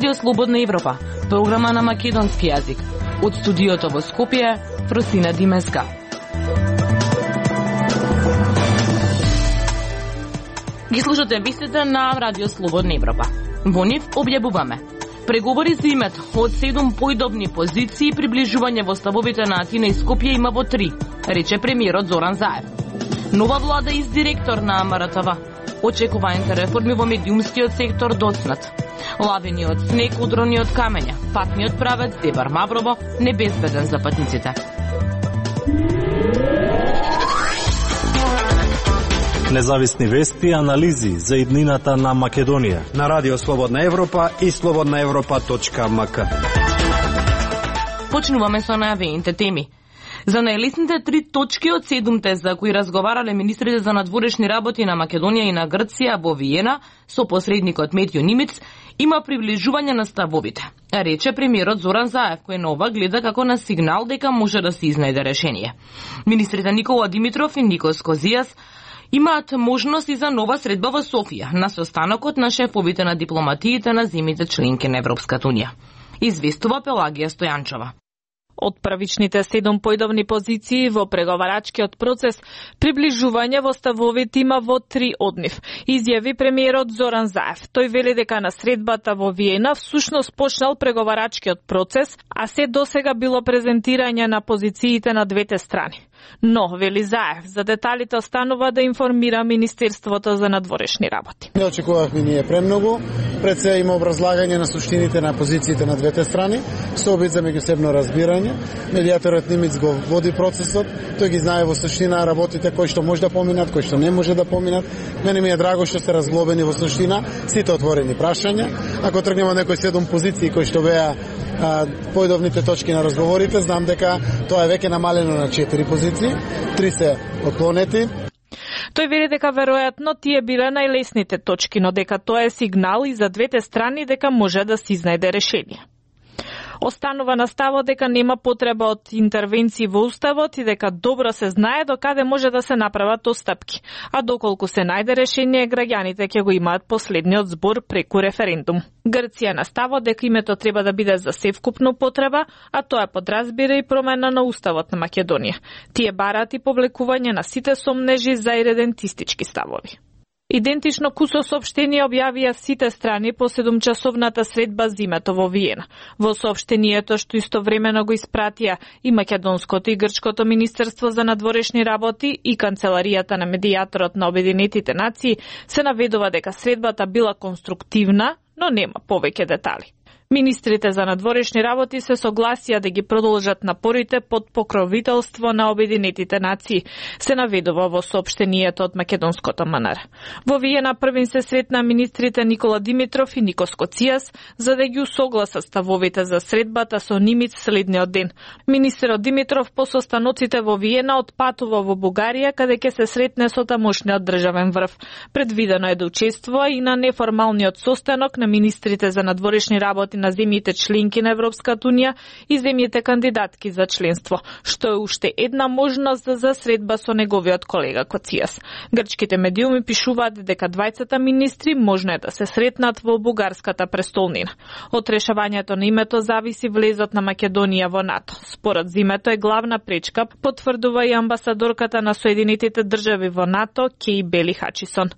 Радио Слободна Европа, програма на македонски јазик. Од студиото во Скопје, Фросина Димеска. Ги слушате вестите на Радио Слободна Европа. Во нив објавуваме преговори за името од 7 поидобни позиции, приближување во ставовите на Атина и Скопје има во 3, рече премиерот Зоран Заев. Нова влада и директор на МРТВ. Очекуваните реформи во медиумскиот сектор доцнат. Лавини од снег, удрони од камења, патниот правец Дебар Маврово небезбеден за патниците. Независни вести и анализи за иднината на Македонија на Радио Слободна Европа и slobodnaevropa.mk. Почнуваме со најавените теми. За најлесните 3 точки од 7 за кои разговарале министрите за надворешни работи на Македонија и на Грција во Виена со посредникот Метјо Нимиц има приближување на ставовите, рече премиерот Зоран Заев, кој на ова гледа како на сигнал дека може да се изнајде решение. Министрите Никола Димитров и Никос Козијас имаат можност и за нова средба во Софија на состанокот на шефовите на дипломатиите на земјите членки на Европската унија. Известува Пелагија Стојанчова. Од првичните 7 поидовни позиции во преговарачкиот процес, приближување во ставовите има во 3 од нив, изјави премиерот Зоран Заев. Тој вели дека на средбата во Виена всушност почнал преговарачкиот процес, а се досега било презентирање на позициите на двете страни. Но, вели Заев, за деталите останува да информира Министерството за надворешни работи. Не очекувавме ние премногу, пред се има образлагање на суштините на позициите на двете страни, со обид за меѓусебно разбирање. Медијаторот Нимиц го води процесот, тој ги знае во суштина работите кои што може да поминат, кои што не може да поминат. Мене ми е драго што се разглобени во суштина сите отворени прашања. Ако тргнеме некои 7 позиции кои што беа поидовните точки на разговорите, знам дека тоа е веќе намалено на 4 позиции, 3 се отклонети. Тој вели дека веројатно тие биле најлесните точки, но дека тоа е сигнал и за двете страни дека може да се изнајде решение. Останува на ставот дека нема потреба од интервенции во уставот и дека добро се знае до каде може да се направат отстапки, а доколку се најде решение, граѓаните ќе го имаат последниот збор преку референдум. Грција на ставот дека името треба да биде за севкупна употреба, а тоа подразбира и промена на уставот на Македонија. Тие бараат и повлекување на сите сомнежи за иредентистички ставови. Идентично кусо соопштение објавија сите страни по 7-часовната средба за името во Виена. Во соопштението што истовремено го испратија и македонското и грчкото министерство за надворешни работи и канцеларијата на медијаторот на Обединетите нации се наведува дека средбата била конструктивна, но нема повеќе детали. Министрите за надворешни работи се согласија да ги продолжат напорите под покровителство на Обединетите нации, се наведува во соопштението од македонското МНР. Во Виена првин се сретна министрите Никола Димитров и Никос Козијас за да ги усогласат ставовите за средбата со Нимиц следниот ден. Министерот Димитров по состаноците во Виена отпатува во Бугарија, каде ќе се сретне со тамошниот државен врв. Предвидено е да учествува и на неформалниот состанок на министрите за надворешни работи на земјите членки на Европската унија и земјите кандидатки за членство, што е уште една можност за средба со неговиот колега Коцијас. Грчките медиуми пишуваат дека двајцата министри можно е да се сретнат во бугарската престолнина. Од решавањето на името зависи влезот на Македонија во НАТО. Според името е главна пречка, потврдува и амбасадорката на Соединетите држави во НАТО, Кеј Бели Хачисон.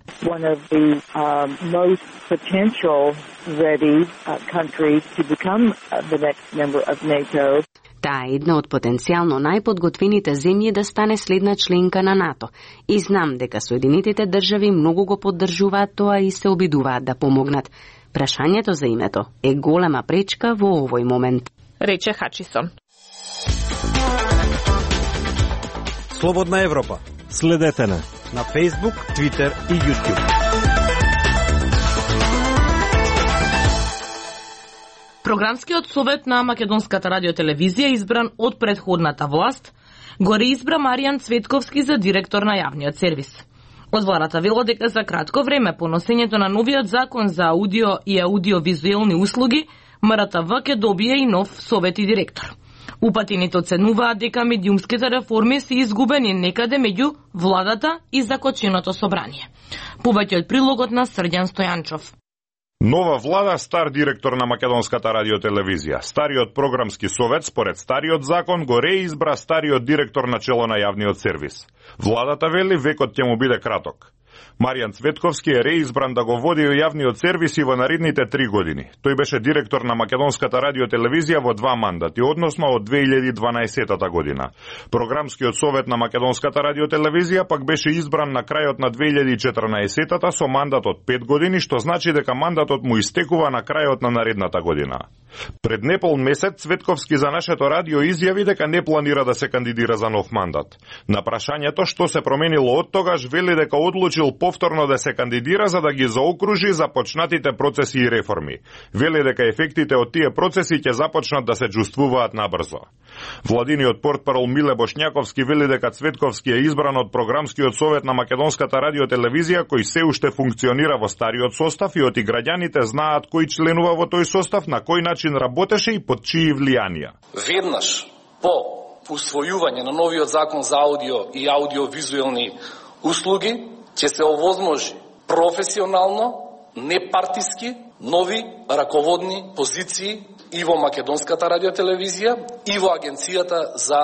Ready countries to become the next member of NATO. Таа е една од потенцијално најподготвените земји да стане следна членка на НАТО. И знам дека Соединетите држави многу го поддржуваат тоа и се обидуваат да помогнат. Прашањето за името е голема пречка во овој момент, рече Хачисон. Слободна Европа. Следете на Facebook, Twitter и YouTube. Програмскиот совет на Македонската радиотелевизија, избран од претходната власт, го реизбра Маријан Цветковски за директор на јавниот сервис. Од владата вело дека за кратко време по носењето на новиот закон за аудио и аудиовизуелни услуги, МРТВ ќе добие и нов совет и директор. Упатените оценуваат дека медиумските реформи се изгубени некаде меѓу владата и закоченото собрание. Повеќе од прилогот на Срđan Стојанчов. Нова влада, стар директор на Македонската радиотелевизија. Стариот програмски совет, според стариот закон, го реизбра стариот директор на чело на јавниот сервис. Владата вели векот ќе му биде краток. Маријан Цветковски е реизбран да го води јавниот сервис и во наредните 3 години. Тој беше директор на Македонската радиотелевизија во 2 мандати, односно од 2012 година. Програмскиот совет на Македонската радиотелевизија пак беше избран на крајот на 2014 со мандат од 5 години, што значи дека мандатот му истекува на крајот на наредната година. Пред непол месец Цветковски за нашето радио изјави дека не планира да се кандидира за нов мандат. На прашањето што се променило од тогаш, вели дека одлучил повторно да се кандидира за да ги заокружи започнатите процеси и реформи. Вели дека ефектите од тие процеси ќе започнат да се чувствуваат набрзо. Владиниот портпарол Миле Бошњаковски вели дека Цветковски е избран од програмскиот совет на Македонската радиотелевизија, кој се уште функционира во стариот состав и оти граѓаните знаат кој членува во тој состав, на кој начин работеше и под чии влијанија. Веднаш по усвојување на новиот закон за аудио и аудиовизуелни услуги ќе се овозможи професионално, непартиски, нови раководни позиции и во Македонската радиотелевизија и во Агенцијата за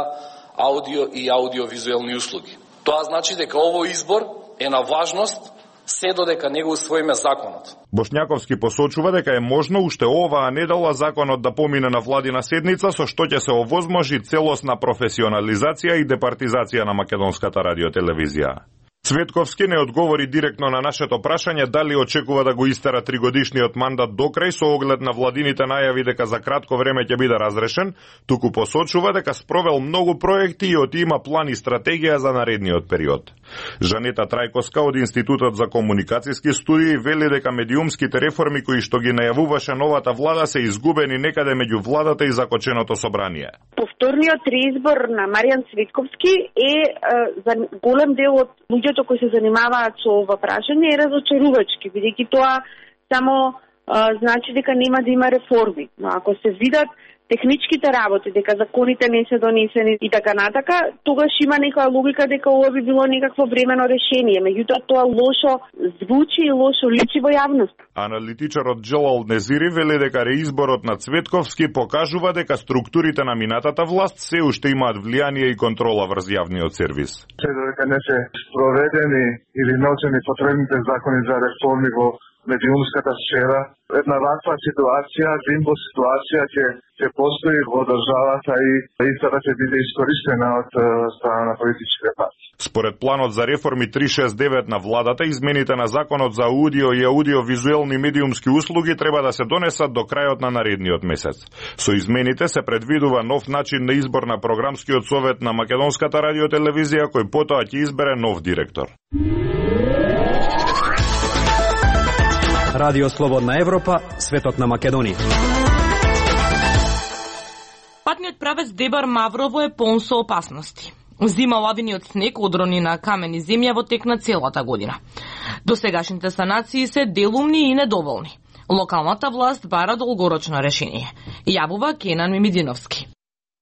аудио и аудиовизуелни услуги. Тоа значи дека овој избор е на важност се додека не го усвоиме законот. Бошњаковски посочува дека е можно уште оваа недела законот да помине на владина седница, со што ќе се овозможи целосна професионализација и департизација на Македонската радиотелевизија. Цветковски не одговори директно на нашето прашање дали очекува да го истера 3-годишниот мандат до крај со оглед на владините најави дека за кратко време ќе биде разрешен, туку посочува дека спровел многу проекти и оти има план и стратегија за наредниот период. Жанета Трајковска од Институтот за комуникацијски студии вели дека медиумските реформи кои што ги најавуваше новата влада се изгубени некаде меѓу владата и закоченото собрание. Повторниот реизбор на Маријан Цветковски е за голем дел од луѓето кои се занимаваат со ова прашање е разочарувачки, бидејќи тоа само значи дека нема да има реформи. Но ако се видат техничките работи, дека законите не се донесени и така натака, тогаш има некоја логика дека ова би било некакво времено решение. Меѓутоа тоа лошо звучи и лошо личи во јавност. Аналитичарот Джелал Незири вели дека реизборот на Цветковски покажува дека структурите на минатата власт се уште имаат влијание и контрола врз јавниот сервис. Се додека не се спроведени или научени потребните закони за реформи во медиумската сфера, една ваква ситуација, лимбо ситуација ќе постои во државата и истата ќе биде искористена од страна на политичките партии. Според планот за реформи 369 на владата, измените на законот за аудио и аудиовизуелни медиумски услуги треба да се донесат до крајот на наредниот месец. Со измените се предвидува нов начин на избор на програмскиот совет на Македонската радиотелевизија, кој потоа ќе избере нов директор. Радио Слободна Европа, светот на Македонија. Патниот правец Дебар Маврово е полн со опасности. Зима лавиниот снег одрони на камен и земја во тек на целата година. Досегашните санации се делумни и недоволни. Локалната власт бара долгорочно решение. Јавува Кенан Мимидиновски.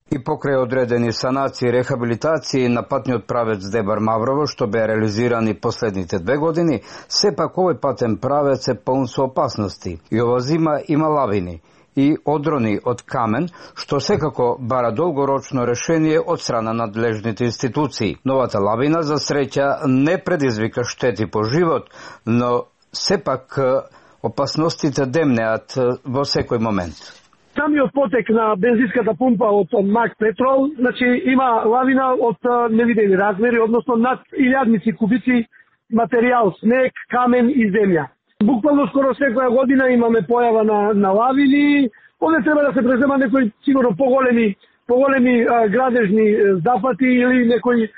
И покрај одредени санации и рехабилитации на патниот правец Дебар Маврово, што бе реализирани последните 2 години, сепак овој патен правец е полн со опасности. И ова зима има лавини и одрони од камен, што секако бара долгорочно решение од страна на надлежните институции. Новата лавина за среќа не предизвика штети по живот, но сепак опасностите демнеат во секој момент. Самиот потек на бензинската пумпа од Мак Петрол, значи има лавина од невидени размери, односно над 1000 кубици материјал, снег, камен и земја. Буквално скоро секоја година имаме појава на лавини. Овде треба да се презема некои сигурно поголеми градежни запати или некој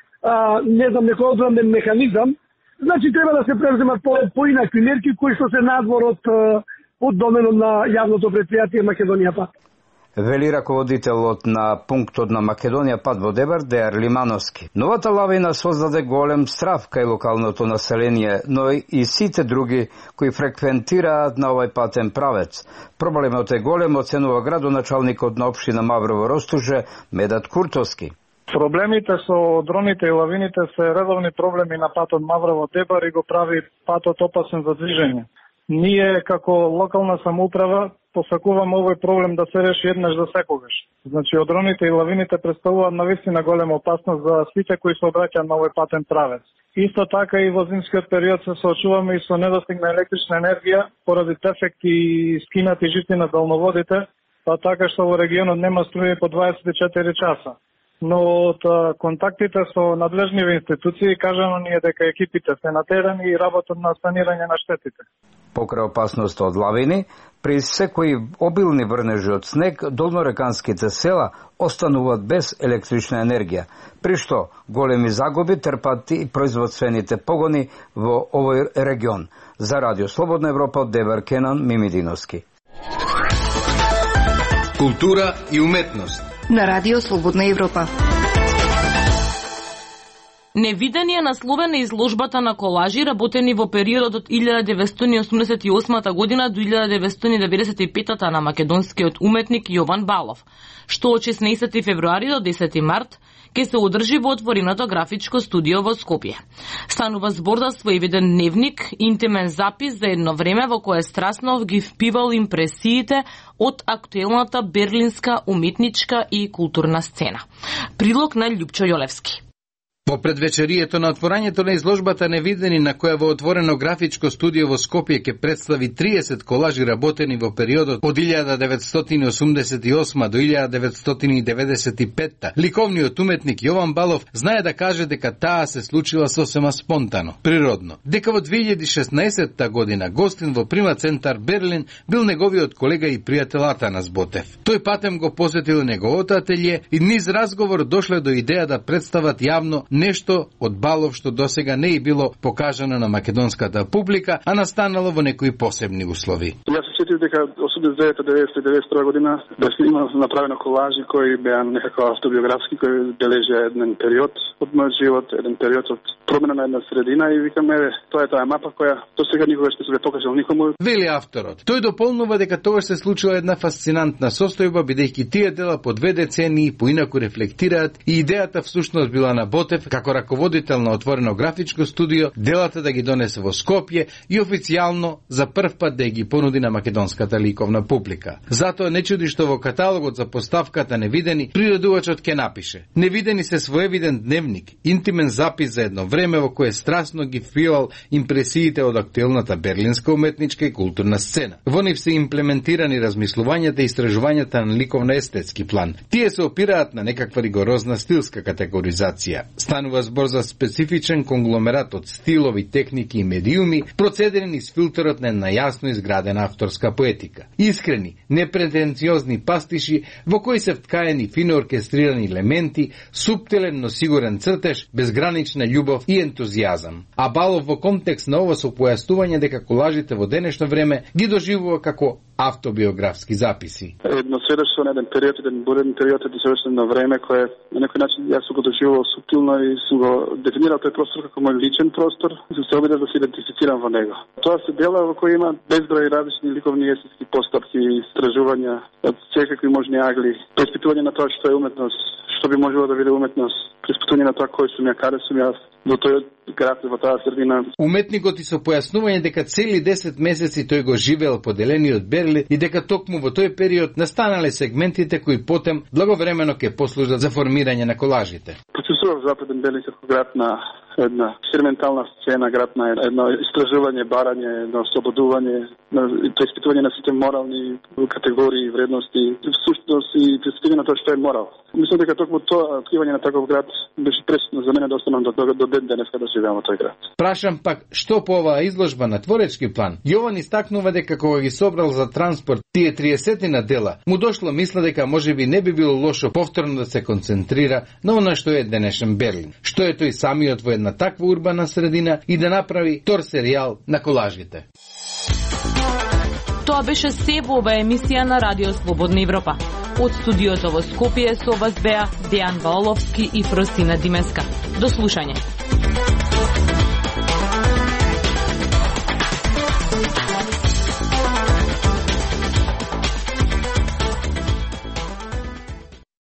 некој одбранен механизам. Значи треба да се преземат поинакви мерки кои што се надвор од доменот на јавното претпријатие Македонија Пат. Вели раководителот на пунктот на Македонија Пат во Дебар, Дејар Лимановски. Новата лавина создаде голем страв кај локалното население, но и сите други кои фреквентираат на овој патен правец. Проблемот е голем, оценува градоначалникот на општина Маврово Ростуже, Медат Куртовски. Проблемите со дроните и лавините се редовни проблеми на патот Маврово Дебар и го прави патот опасен за движење. Ние како локална самоуправа посакуваме овој проблем да се реши еднаш за секогаш. Значи, одроните и лавините представуваат навистина голема опасност за сите кои се обраќаат на овој патен правец. Исто така и во зимскиот период се соочуваме и со недостиг на електрична енергија поради дефекти и скинати жици на далноводите, па така што во регионот нема струја по 24 часа. Но од контактите со надлежниве институции кажано ни е дека екипите се на терен и работат на санирање на штетите. Покрај опасноста од лавини, при секои обилни врнежи од снег, долнореканските села остануваат без електрична енергија, при што големи загуби трпат и производствените погони во овој регион. За Радио Слободна Европа од Дебар Кенан Мимидиновски. Култура и уметност на Радио Слободна Европа. Невидени е насловена изложбата на колажи работени во периодот од 1988 година до 1995 на македонскиот уметник Јован Балов, што од 16 февруари до 10 март ќе се одржи во отвореното графичко студио во Скопје. Станува збор за своевиден дневник, интимен запис за едно време во кое Страснов ги впивал импресиите од актуелната берлинска уметничка и културна сцена. Прилог на Љупчо Јолевски. Во предвечерието на отворањето на изложбата Невидени, на која во отворено графичко студио во Скопје ќе представи 30 колажи работени во периодот од 1988 до 1995, ликовниот уметник Јован Балов знае да каже дека таа се случила сосема спонтано, природно. Дека во 2016 година гостин во Прима центар Берлин бил неговиот колега и пријател Атанас Ботев. Тој патем го посетил неговото ателје и низ разговор дошле до идеја да представат јавно нешто од Балов што досега не е било покажано на македонската публика, а настанало во некои посебни услови. Јас се сетив дека 89-91 година беше имал направено колажи кои беа некако автобиографски, кои бележеа еден период од мојот живот, еден период од промена на една средина и викаме, тоа е таа мапа која досега никогаш не се покажал никому. Вели авторот. Тој дополнува дека тогаш се случила една фасцинантна состојба, бидејќи тие дела по 2 децении поинаку рефлектираат и идејата всушност била на Ботев како раководител на отворено графичко студио, делата да ги донесе во Скопје и официјално за прв пат да ги понуди на македонската ликовна публика. Затоа не чуди што во каталогот за поставката Невидени приредувачот ќе напише: Невидени се своевиден дневник, интимен запис за едно време во кое страстно ги впивал импресиите од актуелната берлинска уметничка и културна сцена. Во нив се имплементирани размислувањата и истражувањата на ликовно-естетски план. Тие се опираат на некаква ригорозна стилска категоризација. Станува збор за специфичен конгломерат од стилови, техники и медиуми, процедени низ филтерот на една јасно изградена авторска поетика. Искрени, непретенциозни пастиши во кои се вткаени фино оркестрирани елементи, суптилен но сигурен цртеж, безгранична љубов и ентузијазам. А Балов во контекст на ова со појаснување дека колажите во денешно време ги доживува како автобиографски записи. Едно сведоштво на еден период, еден бурен период е досведоштво на време кое на некој начин јас сум го доживувал суптилно и сум го дефинирал тој простор како мој личен простор и се обидев да се идентифицирам во него. Тоа се дела во кои има безброј различни ликовни и естетски постапки и истражувања од секакви можни агли, преиспитување на тоа што е уметност, што би можело да биде уметност, преиспитување на тоа кој сум ја, каде сум јас, во тој град, во таа средина. Уметникот и со појаснување дека цели 10 месеци тој го живеел поделени од Берлин и дека токму во тој период настанале сегментите кои потем благовремено ќе послужат за формирање на колажите. Почувствував Западен Берлин како град на една експериментална сцена, град на едно истражување, барање, едно ослободување, преиспитување на сите морални категории и вредности, всушност и преиспитување на тоа што е морал. Мислам дека токму тоа откривање на таков град беше пресудно за мене да останам до ден денеска да живеам во тој град. Прашам пак што по оваа изложба на творечки план. Јован истакнува дека кога ги собрал за транспорт тие 30 дела, му дошло мисла дека можеби не би било лошо повторно да се концентрира на она што е денешен Берлин. Што е тој самиот во една таква урбана средина и да направи втор серијал на колажите. Тоа беше се во оваа емисија на Радио Слободна Европа. Од студиото во Скопје со вас беа Дејан Ваоловски и Фросина Димеска. До слушање.